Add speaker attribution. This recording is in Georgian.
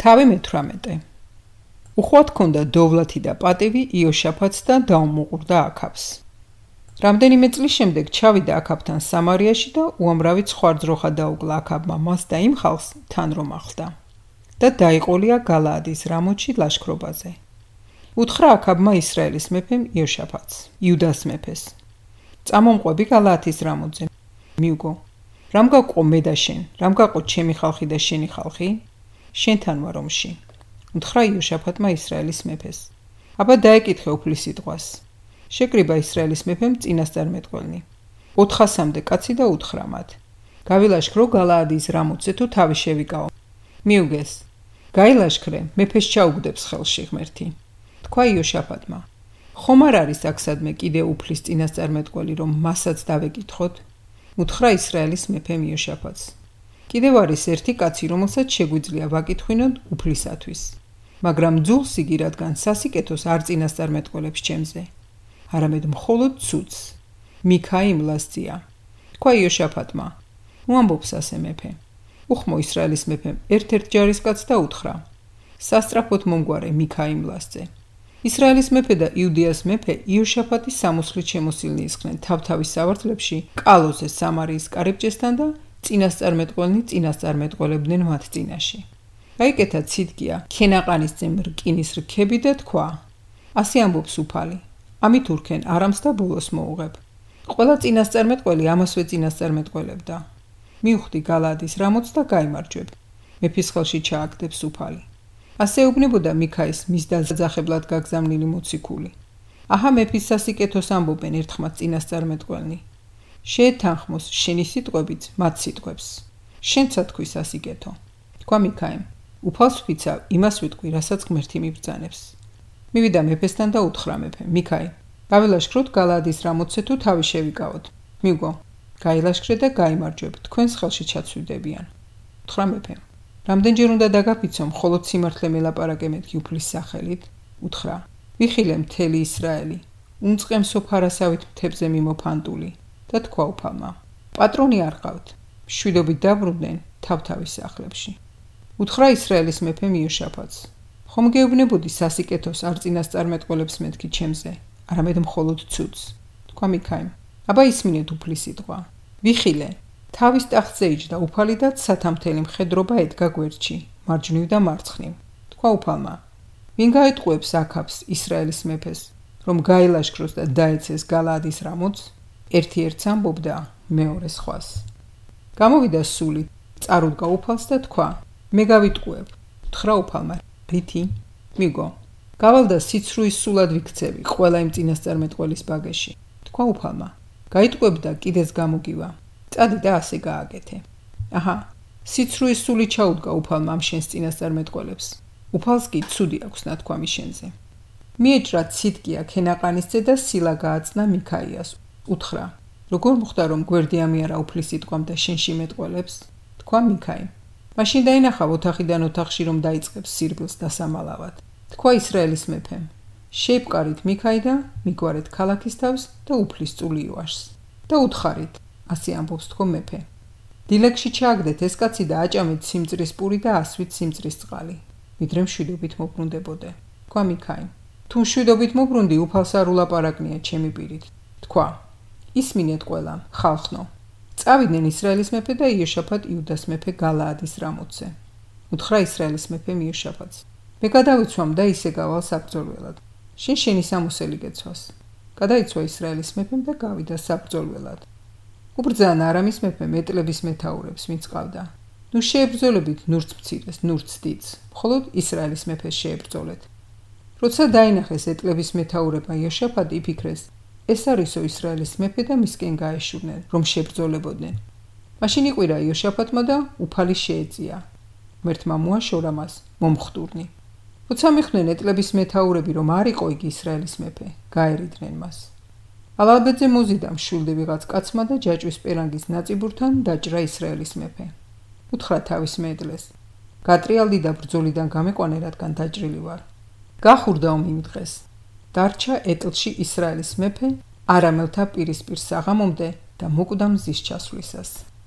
Speaker 1: თავი მე-18. უხვად ჰქონდა დოვლათი და პატივი იოშაფატს და დაუმუყურდა აქაბს. რამდენიმე წლის შემდეგ ჩავიდა აქაბთან სამარიაში და უამრავი ცხვარძროხა დაუგლა აქაბმა მას და იმ ხალხს თან რომ ახლდა და დაიყოლია გალაადის რამოთში ლაშქრობაზე. უთხრა აქაბმა ისრაელის მეფემ იოშაფატს, იუდას მეფეს: წამომყვები გალაათის რამოთზე, მიუგო, რამ გაყო მე და შენ, რამ გაყო ჩემი ხალხი და შენი ხალხი? შენთან ვარ ომში. უთხრა იოშაფატმა ისრაელის მეფეს: აბა დაეკითხე უფლისიტყვას. შეკრიბა ისრაელის მეფემ წინასწარმეტყველნი 400-მდე კაცი და უთხრა მათ: გავილაშქრო გალაადის რამოთზე თუ თავი შევიკაო. მიუგეს, გაილაშქრე, მეფეს ჩაუგდებს ხელში ღმერთი. თქვა იოშაფატმა: ხომ არ არის აქსადმე კიდე უფლის წინასწარმეტყველი, რომ მასაც დავეკითხოთ? უთხრა ისრაელის მეფემ იოშაფატს: კიდევ არის ერთი კაცი, რომელსაც შეგვიძლია ვაკითხვინოთ უფლისათვის, მაგრამ ძულს იგი, რადგან სასიკეთოს არ წინასწარმეტყველებს ჩემზე, არამედ მხოლოდ ცუდს, მიქა იმლასწია. თქვა იოშაფატმა: უამბობს ასე მეფე. უხმო ისრაელის მეფემ ერთ-ერთ ჯარისკაცს და უთხრა: სასწრაფოდ მომგვარე მიქა იმლასწე. ისრაელის მეფე და იუდეას მეფე იოშაფატის სამოსლით შემოსილნი ისხნენ თავთავის სავარძლებში კალოზე სამარიის კარიბჭესთან და წინასწარმეტყველნი წინასწარმეტყველებდნენ მათ წინაში. გაიკეთა ციტკია ქენაყანისძემ რკინის რქები და თქვა: ასე ამბობს უფალი, ამით ურქენ არამს და ბოლოს მოუღებ. ყველა წინასწარმეტყველი ამასვე წინასწარმეტყველებდა. მიუხვდი გალაადის რამოთს და გაიმარჯვებ. მეფის ხელში ჩააგდებს უფალი. ასე ეუბნებოდა მიქაის მის დაძახებლად გაგზავნილი მოციქული. აჰა მეფის სასიკეთოს ამბობენ ერთხმაც წინასწარმეტყველნი. შეეთანხმოს შენი სიტყვებით მათ სიტყვებს. შენცა თქვი სასიკეთო. თქვა მიქაიმ: უფალს ვფიცავ, იმას ვიტყვი, რასაც ღმერთი მიბრძანებს. მივიდა მეფესთან და უთხრა მეფემ: მიქაი, გავილაშქროთ გალაადის რამოთზე თუ თავი შევიკავოთ. მიუგო, გაილაშქრე და გაიმარჯვებ, თქვენს ხელში ჩაცვიდებიან. უთხრა მეფემ: რამდენჯერ უნდა დაგაფიცო, მხოლოდ სიმართლე მელაპარაკე მეთქი უფლის სახელით? უთხრა: ვიხილე მთელი ისრაელი, უმწყემსო ფარასავით მთებზე მიმოფანტული. და თქვა უფალმა: პატრონი არ ყავთ, მშვიდობით დაბრუნდნენ თავთავის სახლებში. უთხრა ისრაელის მეფემ იოშაფატს: ხომ გეუბნებოდი სასიკეთოს არ წინასწარმეტყველებს მეთქი ჩემზე, არამედ მხოლოდ ცუდს. თქვა მიქაიმ: აბა ისმინეთ უფლის სიტყვა. ვიხილე, თავის ტახტზე იჯდა უფალი და სათამთელი მხედრობა ედგა გვერდში, მარჯვნივ და მარცხნივ. თქვა უფალმა: ვინ გაეტყუებს აქაბს ისრაელის მეფეს, რომ გაილაშქროს და დაეცეს გალაადის რამოთს? ერთი ერთს ამბობდა, მეორე სხვას. გამოვიდა სული, წარუდგა უფალს და თქვა: მე გავიტყუებ. უთხრა უფალმა: რითი? მიგო, გავალ და სიცრუის სულად ვიქცევი ყველა იმ წინასწარმეტყველის ბაგეში. თქვა უფალმა: გაიტყუებ და კიდეც გამოგივა. წადი და ასე გააკეთე. აჰა, სიცრუის სული ჩაუდგა უფალმა ამ შენს წინასწარმეტყველებს. უფალს კი ცუდი აქვს ნათქვამი შენზე. მიეჭრა ციტკია ქენაყანისძე და სილა გააწნა მიქაიას. უთხრა: როგორ მოხდა რომ გვერდი ამიარა უფლის სიტყვამ და შენში მეტყველებს? თქვა მიქაიმ: მაშინ დაინახავ ოთახიდან ოთახში რომ დაიწყებს სირბილს დასამალავად. თქვა ისრაელის მეფემ: შეიპყარით მიქაი და მიგვარეთ ქალაქის თავს და უფლის წული იواشს. და უთხარით, ასე ამბობს თქო მეფე. დილეგში ჩააგდეთ ეს კაცი და აჭამეთ სიმწრის პური და ასვით სიმწრის წყალი, ვიდრე მშვიდობით მოbrunდებოდე. თქვა მიქაიმ: თუ მშვიდობით მოbrunდი, უფალს არ ულაპარაკნია ჩემი პირით. თქვა: ისმინეთ ყველა, ხალხნო. წავიდნენ ისრაელის მეფე და იოშაფატ იუდას მეფე გალაადის რამოთზე. უთხრა ისრაელის მეფემ იოშაფატს: მე გადავიცვამ და ისე გავალ საბრძოლველად. შენ შენი სამოსელი გეცვას. გადაიცვა ისრაელის მეფემ და გავიდა საბრძოლველად. უბრძანა არამის მეფემ ეტლების მეთაურებს, ვინც ყავდა: ნუ შეებრძოლებით ნურც მცირეს, ნურც დიდს, მხოლოდ ისრაელის მეფეს შეებრძოლეთ. როცა დაინახეს ეტლების მეთაურებმა იოშაფატი, იფიქრეს: ეს არისო ისრაელის მეფე და მისკენ გაეშურნენ, რომ შეებრძოლებოდნენ. მაშინ იყვირა იოშაფატმა და უფალი შეეწია. ღმერთმა მოაშორა მას მომხდურნი. როცა მიხვდნენ ეტლების მეთაურები, რომ არ იყო იგი ისრაელის მეფე, გაერიდნენ მას. ალალბეძე მოზიდა მშვილდი ვიღაც კაცმა და ჯაჭვის პერანგის ნაწიბურთან დაჭრა ისრაელის მეფე. უთხრა თავის მეეტლეს: გატრიალდი და ბრძოლიდან გამეყვანე, რადგან დაჭრილი ვარ. გახურდა ომი იმ დღეს. დარჩა ეტლში ისრაელის მეფე არამელთა პირისპირ საღამომდე და მოკვდა მზის ჩასვლისას.